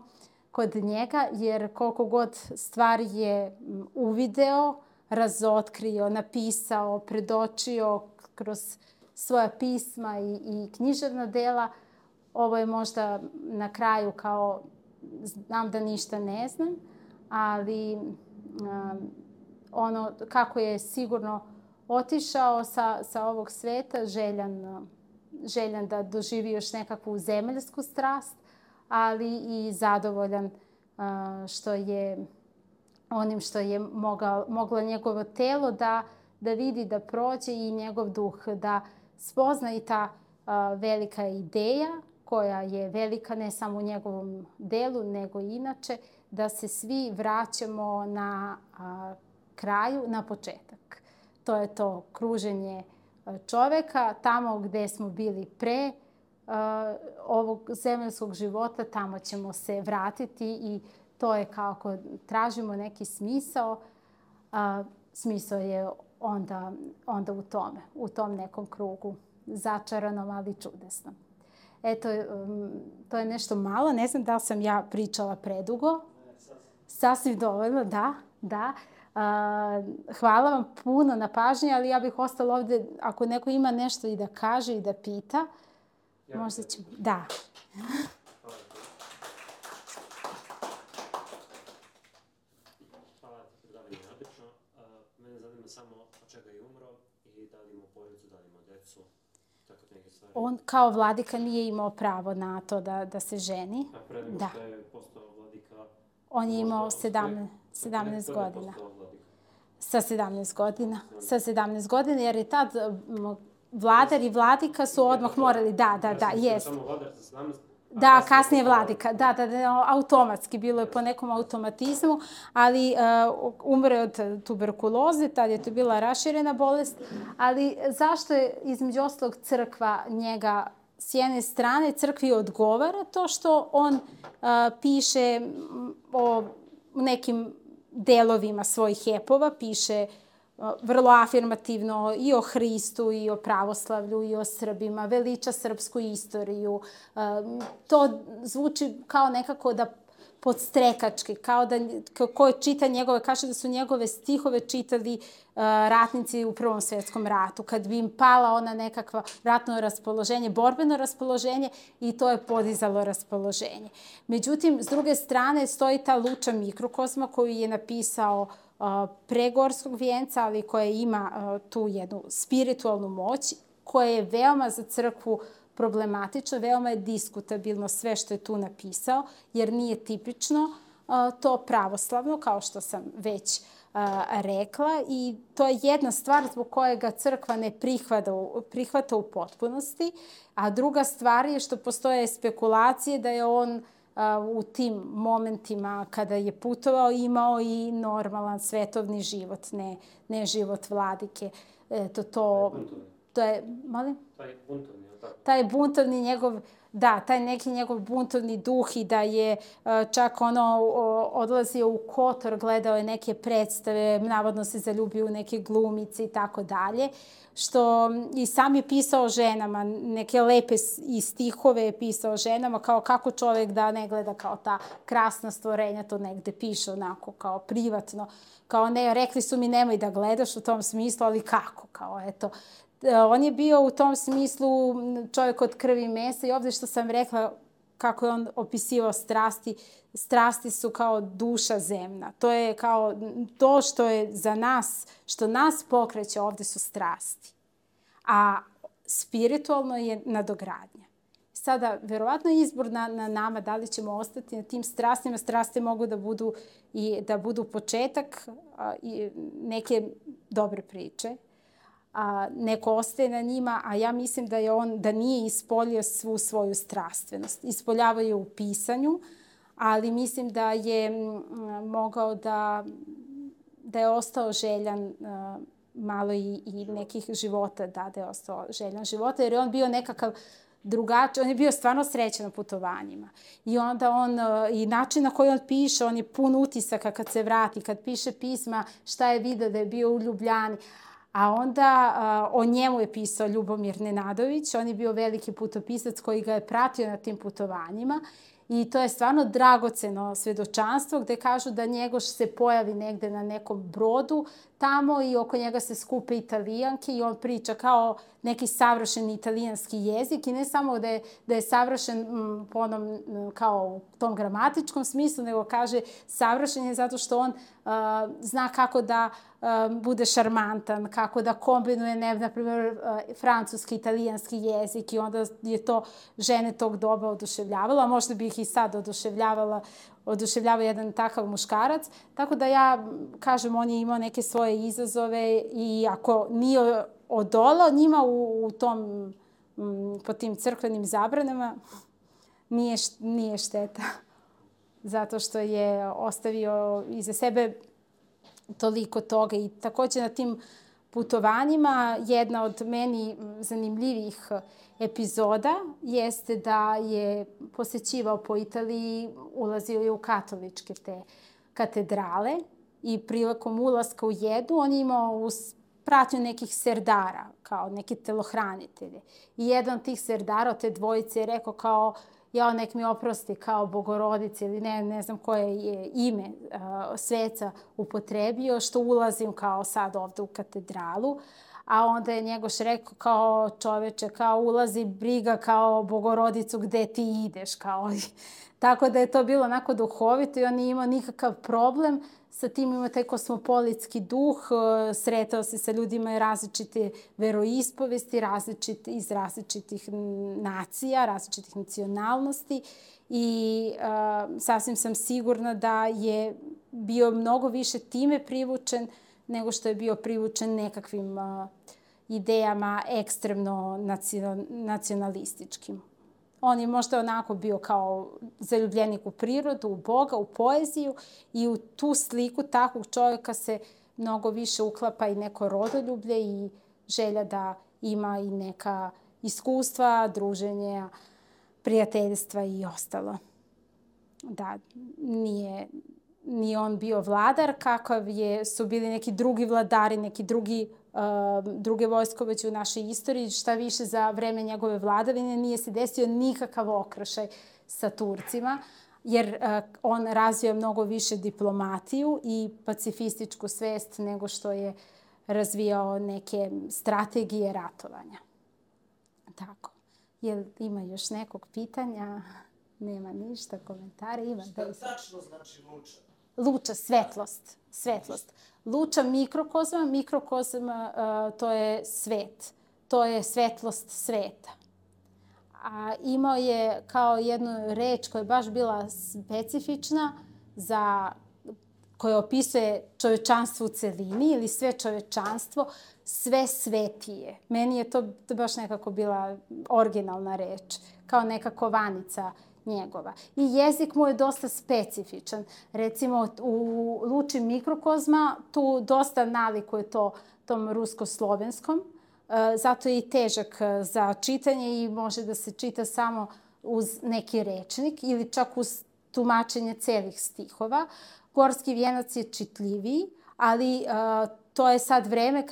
kod njega, jer koliko god stvari je uvideo, razotkrio, napisao, predočio kroz svoja pisma i književna dela, ovo je možda na kraju kao znam da ništa ne znam, ali ono kako je sigurno otišao sa ovog sveta, željan da doživi još nekakvu zemaljsku strast, ali i zadovoljan onim što je moglo njegovo telo da vidi, da prođe i njegov duh da spozna i ta velika ideja koja je velika ne samo u njegovom delu, nego i inače, da se svi vraćamo na kraju, na početak. To je to kruženje čoveka, tamo gde smo bili pre ovog zemaljskog života, tamo ćemo se vratiti i to je kako tražimo neki smisao. smisao je onda u tom nekom krugu. Začaranom, ali čudesnom. Eto, to je nešto malo. Ne znam da li sam ja pričala predugo. Sasvim dovoljno, da. Hvala vam puno na pažnji, ali ja bih ostala ovde, ako neko ima nešto i da kaže i da pita, možda ćemo... Da. Hvala ti, predavanje je odlično. Mene zanima samo od čega je umro i da li imao porodicu, da li imao decu, tako neke stvari. On kao vladika nije imao pravo na to da se ženi. A pre nego što je postao vladika... On je imao 17 godina. Sa 17 godina. Sa 17 godina, jer je tad vladar i vladika su odmah morali, jest. Samo vladar sa 17... Da, kasnije vladika. Da, automatski. Bilo je po nekom automatizmu, ali umre od tuberkuloze, tad je to bila raširena bolest. Ali zašto je, između ostalog, crkva njega s jedne strane, crkvi odgovara to što on piše o nekim delovima svojih epova, piše vrlo afirmativno i o Hristu, i o pravoslavlju, i o Srbima, veliča srpsku istoriju. To zvuči kao nekako da podstrekački, kao da ko čita njegove, kaže da su njegove stihove čitali ratnici u Prvom svjetskom ratu, kad bi im pala ona nekakva ratno raspoloženje, borbeno raspoloženje, i to je podizalo raspoloženje. Međutim, s druge strane stoji ta Luča mikrokozma koju je napisao pre Gorskog vijenca, ali koja ima tu jednu spiritualnu moć, koja je veoma za crkvu problematično, veoma je diskutabilno sve što je tu napisao, jer nije tipično to pravoslavno, kao što sam već rekla, i to je jedna stvar zbog koje ga crkva ne prihvata u potpunosti, a druga stvar je što postoje spekulacije da je on u tim momentima kada je putovao imao i normalan svetovni život, ne život vladike. To je, molim? Taj buntovni, je li tako? Taj buntovni njegov, taj neki njegov buntovni duh, i da je čak odlazio u Kotor, gledao je neke predstave, navodno se zaljubio u neke glumice i tako dalje, što i sam je pisao ženama, neke lepe i stihove je pisao ženama, kao kako čovjek da ne gleda kao ta krasna stvorenja, to negde piše onako kao privatno, kao ne, rekli su mi nemoj da gledaš u tom smislu, ali kako, kao eto. On je bio u tom smislu čovjek od krvi i mesa, i ovdje što sam rekla kako je on opisivao strasti, strasti su kao duša zemna. To je kao to što je za nas, što nas pokreće ovdje su strasti. A spiritualno je nadogradnja. Sada, verovatno je izbor na nama da li ćemo ostati na tim strastima. Strasti mogu da budu početak neke dobre priče. Neko ostaje na njima, a ja mislim da nije ispoljio svu svoju strastvenost. Ispoljavao je u pisanju, ali mislim da je mogao da je ostao željan malo i nekih života, da je ostao željan života, jer je on bio nekakav drugačiji, on je bio stvarno srećan na putovanjima. I onda i način na koji on piše, on je pun utisaka kad se vrati, kad piše pisma, šta je vidio da je bio u Ljubljani. A onda o njemu je pisao Ljubomir Nenadović, on je bio veliki putopisac koji ga je pratio na tim putovanjima, i to je stvarno dragoceno svedočanstvo gde kažu da Njegoš se pojavi negde na nekom brodu tamo i oko njega se skupe Italijanke i on priča kao neki savršen italijanski jezik, i ne samo da je savršen po onom kao u tom gramatičkom smislu, nego kaže savršen je zato što on zna kako da bude šarmantan, kako da kombinuje, na primjer, francuski, italijanski jezik, i onda je to žene tog doba oduševljavalo, a možda bi ih i sad oduševljava jedan takav muškarac. Tako da ja kažem, on je imao neke svoje izazove, i ako nije odolao njima po tim crkvenim zabranama, nije šteta. Zato što je ostavio iza sebe toliko toga. I također na tim putovanjima jedna od meni zanimljivih epizoda jeste da je posećivao po Italiji, ulazio je u katoličke te katedrale, i prilikom ulaska u jednu on je imao pratnju nekih serdara, kao neki telohranitelji. I jedan od tih serdara od te dvojice je rekao kao ja nek mi oprosti kao Bogorodice ili ne znam koje je ime sveca upotrebio što ulazim kao sad ovde u katedralu. A onda je Njegoš rekao kao čoveče, kao ulazi briga kao Bogorodicu gde ti ideš. Kao. Tako da je to bilo onako duhovito i on nije imao nikakav problem. Sa tim ima taj kosmopolitski duh, sretao se sa ljudima različite veroispovesti, iz različitih nacija, različitih nacionalnosti i sasvim sam sigurna da je bio mnogo više time privučen nego što je bio privučen nekakvim idejama ekstremno nacionalističkim. On je možda onako bio kao zaljubljenik u prirodu, u Boga, u poeziju i u tu sliku takvog čovjeka se mnogo više uklapa i neko rodoljublje i želja da ima i neka iskustva, druženja, prijateljstva i ostalo. Da, nije on bio vladar kakav su bili neki drugi vladari, neki druge vojskovođe u našoj istoriji. Šta više, za vreme njegove vladavine nije se desio nikakav okršaj sa Turcima, jer on razvio mnogo više diplomatiju i pacifističku svest nego što je razvijao neke strategije ratovanja. Tako. Jel ima još nekog pitanja? Nema ništa, komentare. Ima. Šta tačno znači luča? Luča, svetlost. Luča mikrokozma, to je svet. To je svetlost sveta. A imao je kao jednu reč koja je baš bila specifična koja opisuje čovečanstvo u celini ili sve čovečanstvo, sve svetije. Meni je to baš nekako bila originalna reč, kao neka kovanica njegova. I jezik mu je dosta specifičan. Recimo, u Luči mikrokozma tu dosta nalikuje tom rusko-slovenskom, zato je i težak za čitanje i može da se čita samo uz neki rečnik ili čak uz tumačenje celih stihova. Gorski vijenac je čitljiviji, ali to je sad vreme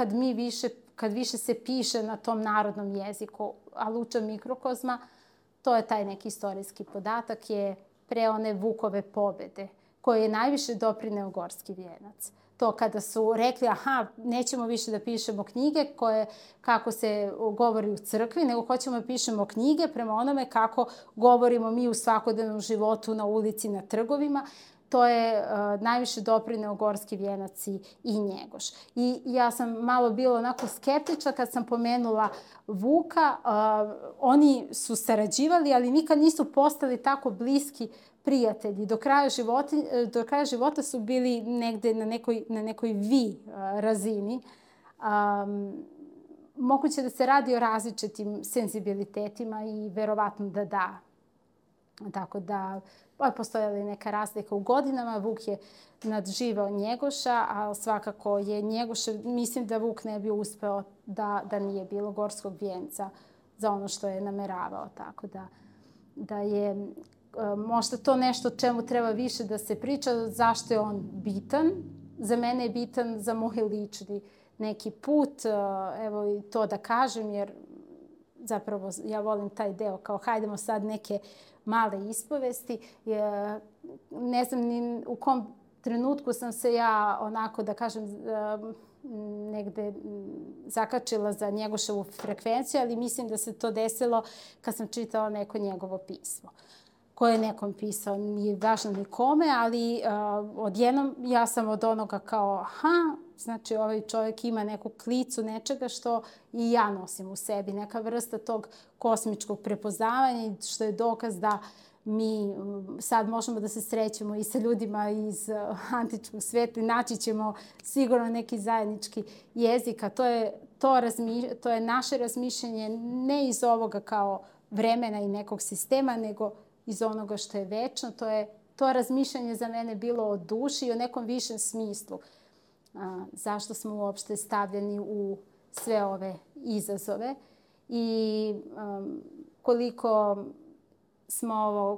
kad više se piše na tom narodnom jeziku, a Luča mikrokozma, to je taj neki istorijski podatak, je pre one Vukove pobede, koje je najviše doprineo Gorski vijenac. To kada su rekli, nećemo više da pišemo knjige kako se govori u crkvi, nego hoćemo da pišemo knjige prema onome kako govorimo mi u svakodnevnom životu na ulici, na trgovima. To je najviše doprineo Gorski vijenac i Njegoš. I ja sam malo bila onako skeptična kad sam pomenula Vuka. Oni su sarađivali, ali nikad nisu postali tako bliski prijatelji. Do kraja života su bili negde na nekoj razini. Moguće da se radi o različitim senzibilitetima i verovatno da. Tako da postojala je neka razlika u godinama. Vuk je nadživao Njegoša, a svakako je Njegoša, mislim da Vuk ne bi uspeo da nije bilo Gorskog vijenca za ono što je nameravao. Tako da je možda to nešto o čemu treba više da se priča, zašto je on bitan. Za mene je bitan za moj lični neki put, evo i to da kažem, jer zapravo ja volim taj deo, kao hajdemo sad neke male ispovesti. Ne znam ni u kom trenutku sam se ja onako, da kažem, negde zakačila za Njegoševu frekvenciju, ali mislim da se to desilo kad sam čitala neko njegovo pismo koje je nekom pisao. Nije važno nikome, ali odjednom ja sam od onoga kao, znači ovaj čovjek ima neku klicu nečega što i ja nosim u sebi. Neka vrsta tog kosmičkog prepoznavanja, što je dokaz da mi sad možemo da se srećemo i sa ljudima iz antičkog sveta i naći ćemo sigurno neki zajednički jezik, a to je naše razmišljanje ne iz ovoga kao vremena i nekog sistema, nego iz onoga što je večno. To razmišljanje za mene bilo o duši i o nekom višem smislu. Zašto smo uopšte stavljeni u sve ove izazove i koliko smo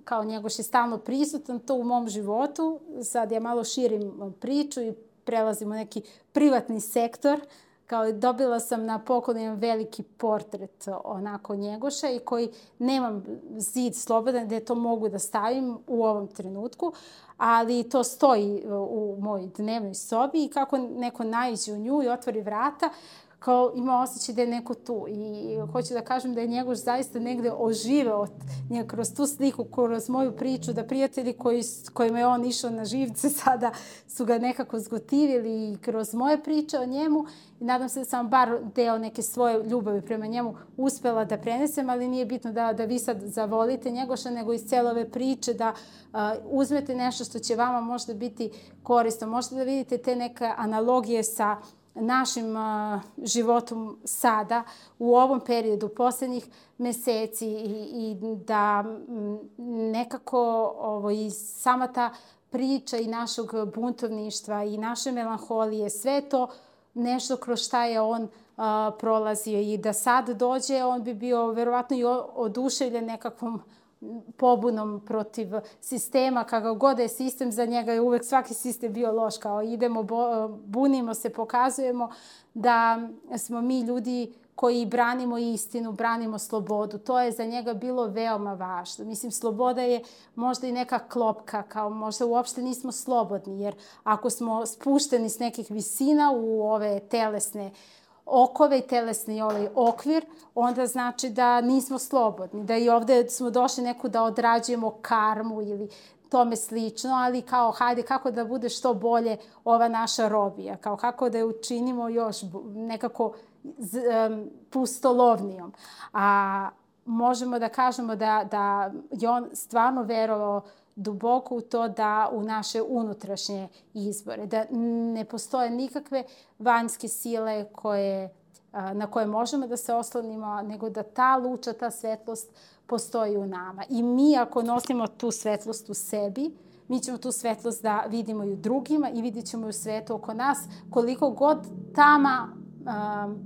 kao Njegoš je stalno prisutan to u mom životu. Sad ja malo širim priču i prelazim u neki privatni sektor. Kao dobila sam na poklon jedan veliki portret onako Njegoša i koji nemam zid slobodan gde to mogu da stavim u ovom trenutku, ali to stoji u mojoj dnevnoj sobi i kako neko naiđe u nju i otvori vrata, kao ima osjećaj da je neko tu. I hoću da kažem da je Njegoš zaista negde oživeo kroz tu sliku, kroz moju priču, da prijatelji kojima je on išao na živce sada su ga nekako zgotivili i kroz moje priče o njemu. I nadam se da sam bar deo neke svoje ljubavi prema njemu uspela da prenesem, ali nije bitno da vi sad zavolite Njegoša, nego iz cele ove priče da uzmete nešto što će vama možda biti korisno. Možete da vidite te neke analogije sa našim životom sada, u ovom periodu, poslednjih meseci i da nekako i sama ta priča i našeg buntovništva i naše melanholije, sve to nešto kroz šta je on prolazio i da sad dođe, on bi bio verovatno i oduševljen nekakvom pobunom protiv sistema, kako god je sistem za njega, je uvek svaki sistem bio loš, kao idemo, bunimo se, pokazujemo da smo mi ljudi koji branimo istinu, branimo slobodu. To je za njega bilo veoma važno. Mislim, sloboda je možda i neka klopka, kao možda uopšte nismo slobodni, jer ako smo spušteni s nekih visina u ove telesne okove i telesni okvir, onda znači da nismo slobodni, da i ovde smo došli neku da odrađujemo karmu ili tome slično, ali kao hajde kako da bude što bolje ova naša robija, kao kako da je učinimo još nekako pustolovnijom. A možemo da kažemo da je on stvarno verovao duboko u to da u naše unutrašnje izbore, da ne postoje nikakve vanjske sile na koje možemo da se oslonimo, nego da ta luča, ta svetlost postoji u nama. I mi ako nosimo tu svetlost u sebi, mi ćemo tu svetlost da vidimo i u drugima i vidit ćemo i u svetu oko nas, koliko god tama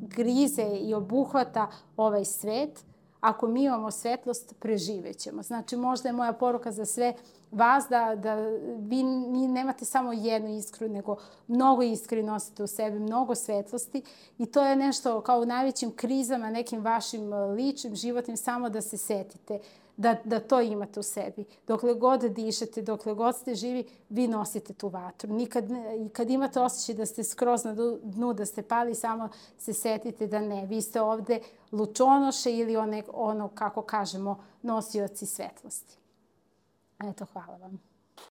grize i obuhvata ovaj svet, ako mi imamo svetlost, preživećemo. Znači, možda je moja poruka za sve vas da vi nemate samo jednu iskru, nego mnogo iskri nosite u sebi, mnogo svetlosti i to je nešto kao u najvećim krizama, nekim vašim ličnim, životnim, samo da se setite da to imate u sebi. Dokle god dišete, dokle god ste živi, vi nosite tu vatru. Kad imate osjećaj da ste skroz na dnu, da ste pali, samo se setite da ne. Vi ste ovde lučonoše ili kako kažemo, nosioci svetlosti. Eto, hvala vam.